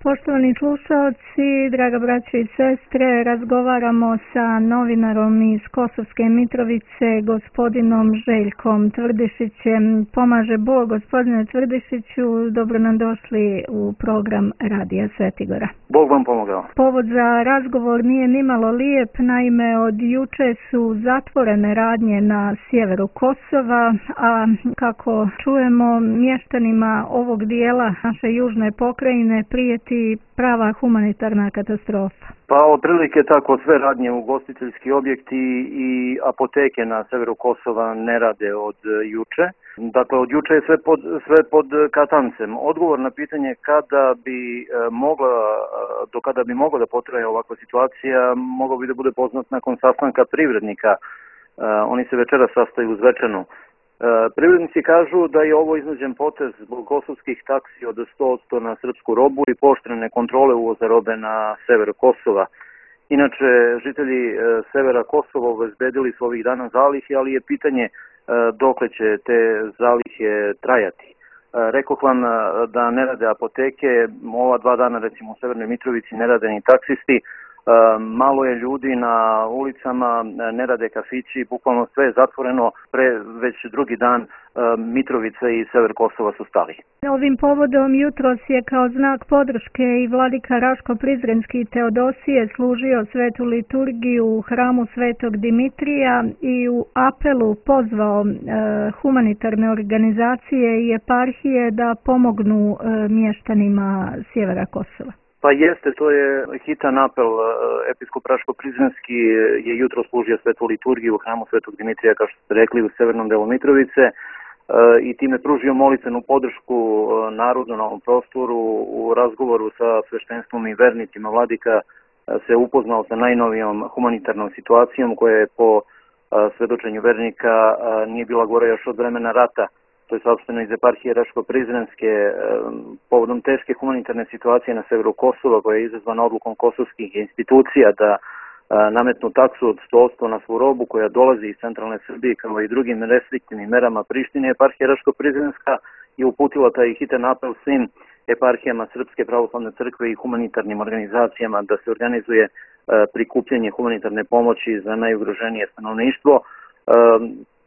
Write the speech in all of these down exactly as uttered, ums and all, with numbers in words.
Poštovani slušalci, draga braćo i sestre, razgovaramo sa novinarom iz Kosovske Mitrovice, gospodinom Željkom Tvrdišićem. Pomaže Bog, gospodine Tvrdišiću, dobro nam došli u program Radija Svetigora. Bog vam pomogao. Povod za razgovor nije nimalo lijep, naime od juče su zatvorene radnje na sjeveru Kosova, a kako čujemo mještanima ovog dijela naše južne pokrajine prijeti prava humanitarna katastrofa. Pa otprilike tako, sve radnje, ugostiteljski objekti i apoteke na severu Kosova ne rade od juče. Dakle, od juče je sve pod, sve pod katancem. Odgovor na pitanje kada bi mogla, do kada bi mogla da potraje ovakva situacija, mogao bi da bude poznat nakon sastanka privrednika. Oni se večera sastaju u Zvečanu. Privrednici kažu da je ovo iznuđen potez zbog kosovskih taksi od sto posto na srpsku robu i pooštrene kontrole uvoza robe na sever Kosova. Inače, žitelji severa Kosova obezbedili su ovih dana zalihe, ali je pitanje dokle će te zalihe trajati. Rekoh vam da ne rade apoteke, ova dva dana recimo u Severnoj Mitrovici ne rade ni taksisti, malo je ljudi na ulicama, ne rade kafići, bukvalno sve je zatvoreno, pre već drugi dan Mitrovica i sever Kosova su stali. Ovim povodom jutros je kao znak podrške i vladika Raško Prizrenski Teodosije služio svetu liturgiju u hramu Svetog Dimitrija i u apelu pozvao e, humanitarne organizacije i eparhije da pomognu e, mještanima sjevera Kosova. Pa jeste, to je hitan apel. Episkop Raško-Prizrenski je jutro služio svetu liturgiju u hramu Svetog Dimitrija, kao što ste rekli, u severnom delu Mitrovice i time pružio molitvenu podršku narodu na ovom prostoru. U razgovoru sa sveštenstvom i vernicima vladika se upoznao sa najnovijom humanitarnom situacijom koja je po svedočenju vernika nije bila gore još od vremena rata. To je saopšteno iz eparhije Raško-Prizrenske povodom teške humanitarne situacije na severu Kosova koja je izazvana odlukom kosovskih institucija da nametnu taksu od sto posto na svu robu koja dolazi iz centralne Srbije kao i drugim restriktivnim merama Prištine. Eparhija Raško-Prizrenska je uputila taj hitan apel svim eparhijama Srpske pravoslavne crkve i humanitarnim organizacijama da se organizuje prikupljanje humanitarne pomoći za najugroženije stanovništvo.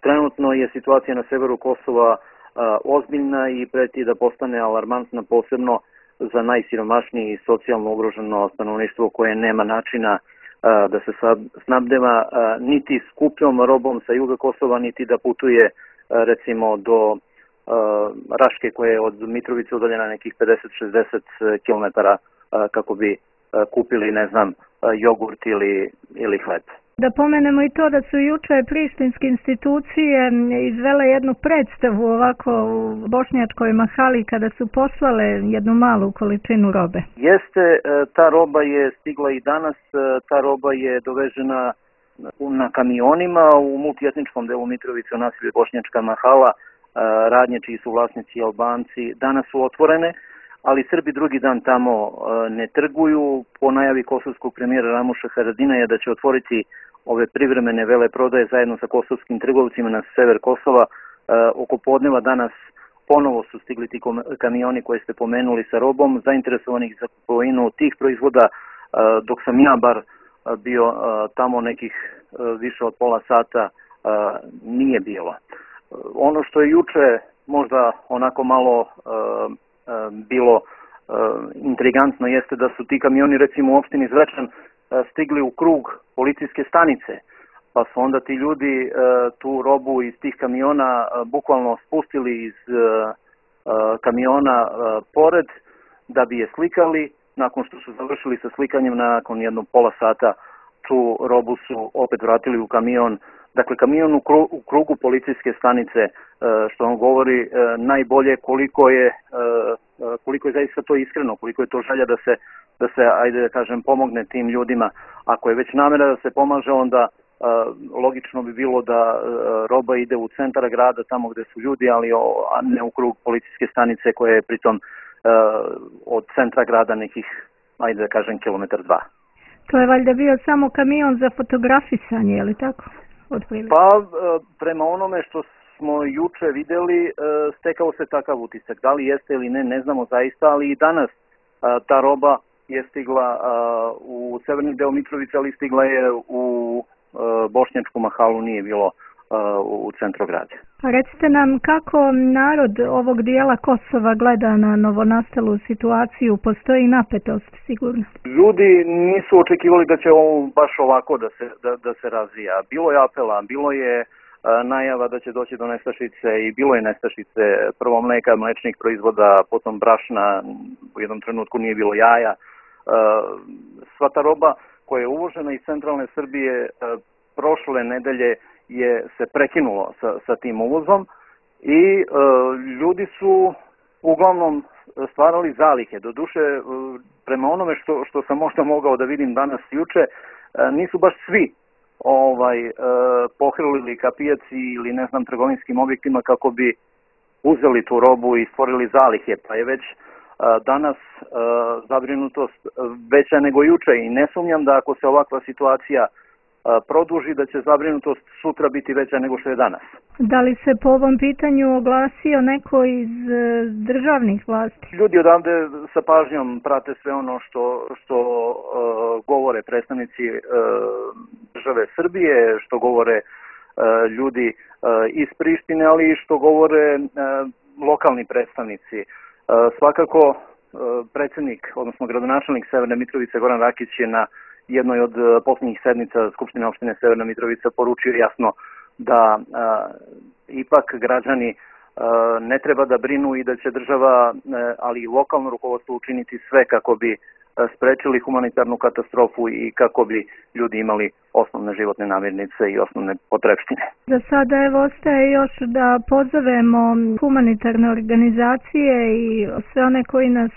Trenutno je situacija na severu Kosova a, ozbiljna i preti da postane alarmantna posebno za najsiromašnije i socijalno ugroženo stanovništvo koje nema načina a, da se sad snabdeva a, niti skupljom robom sa juga Kosova, niti da putuje a, recimo do a, Raške koja je od Mitrovice udaljena nekih pedeset do šezdeset kilometara kako bi a, kupili, ne znam, a, jogurt ili, ili hleb. Da pomenemo i to da su juče prištinske institucije izvele jednu predstavu ovako u bošnjačkoj mahali kada su poslale jednu malu količinu robe. Jeste, ta roba je stigla i danas, ta roba je dovežena na kamionima u multietničkom delu Mitrovice u naselju Bošnjačka mahala, radnje čiji su vlasnici Albanci, danas su otvorene, ali Srbi drugi dan tamo ne trguju. Po najavi kosovskog premijera Ramuša Haradinaja da će otvoriti ove privremene veleprodaje zajedno sa kosovskim trgovcima na sever Kosova. Oko podneva danas ponovo su stigli ti kamioni koje ste pomenuli sa robom, zainteresovanih za kupovinu tih proizvoda, dok sam ja bar bio tamo nekih više od pola sata nije bilo. Ono što je juče možda onako malo bilo intrigantno jeste da su ti kamioni recimo u opštini Zvečan stigli u krug policijske stanice, pa su onda ti ljudi tu robu iz tih kamiona bukvalno spustili iz kamiona pored da bi je slikali. Nakon što su završili sa slikanjem, nakon jednog pola sata tu robu su opet vratili u kamion. Dakle, kamion u krugu, u krugu policijske stanice, što vam govori najbolje koliko je, koliko je zaista to iskreno, koliko je to želja da se, da se, ajde da kažem, pomogne tim ljudima. Ako je već namera da se pomaže, onda logično bi bilo da roba ide u centar grada, tamo gde su ljudi, ali a ne u krug policijske stanice koja je pritom od centra grada nekih, ajde da kažem, kilometar dva. To je valjda bio samo kamion za fotografisanje, je li tako? Pa prema onome što smo juče vidjeli, stekao se takav utisak. Da li jeste ili ne, ne znamo zaista, ali i danas ta roba je stigla u severni deo Mitrovice, ali stigla je u Bošnjačku mahalu, nije bilo u centru grada. Pa recite nam kako narod ovog dijela Kosova gleda na novonastalu situaciju, postoji napetost sigurno? Ljudi nisu očekivali da će ovo baš ovako da se, da, da se razvija. Bilo je apela, bilo je najava da će doći do nestašice i bilo je nestašice, prvo mleka, mlečnih proizvoda, potom brašna, u jednom trenutku nije bilo jaja. Sva ta roba koja je uvožena iz centralne Srbije prošle nedelje je se prekinulo sa, sa tim uvozom i e, ljudi su uglavnom stvarali zalihe. Doduše, e, prema onome što, što sam možda mogao da vidim danas i juče, e, nisu baš svi ovaj, e, pohrlili ka pijaci ili ne znam trgovinskim objektima kako bi uzeli tu robu i stvorili zalihe, pa je već e, danas e, zabrinutost veća nego juče i ne sumnjam da ako se ovakva situacija produži, da će zabrinutost sutra biti veća nego što je danas. Da li se po ovom pitanju oglasio neko iz državnih vlasti? Ljudi odavde sa pažnjom prate sve ono što, što uh, govore predstavnici uh, države Srbije, što govore uh, ljudi uh, iz Prištine, ali i što govore uh, lokalni predstavnici. Uh, svakako uh, predsjednik, odnosno gradonačelnik Severne Mitrovice Goran Rakić je na jednoj od posljednjih sednica Skupštine opštine Severna Mitrovica poručio jasno da a, ipak građani a, ne treba da brinu i da će država, a, ali i lokalno rukovodstvo učiniti sve kako bi a, sprečili humanitarnu katastrofu i kako bi ljudi imali osnovne životne namirnice i osnovne potrepštine. Za sada evo ostaje još da pozovemo humanitarne organizacije i sve one koji nas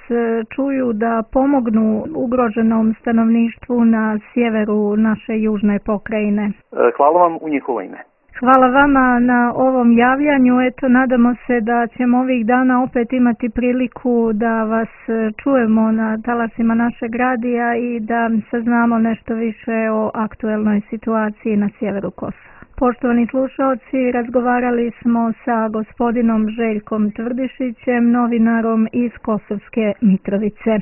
čuju da pomognu ugroženom stanovništvu na sjeveru naše južne pokrajine. Hvala vam u njihovo ime. Hvala vama na ovom javljanju. Eto, nadamo se da ćemo ovih dana opet imati priliku da vas čujemo na talasima našeg radija i da saznamo nešto više o aktuelnoj situaciji na sjeveru Kosova. Poštovani slušalci, razgovarali smo sa gospodinom Željkom Tvrdišićem, novinarom iz Kosovske Mitrovice.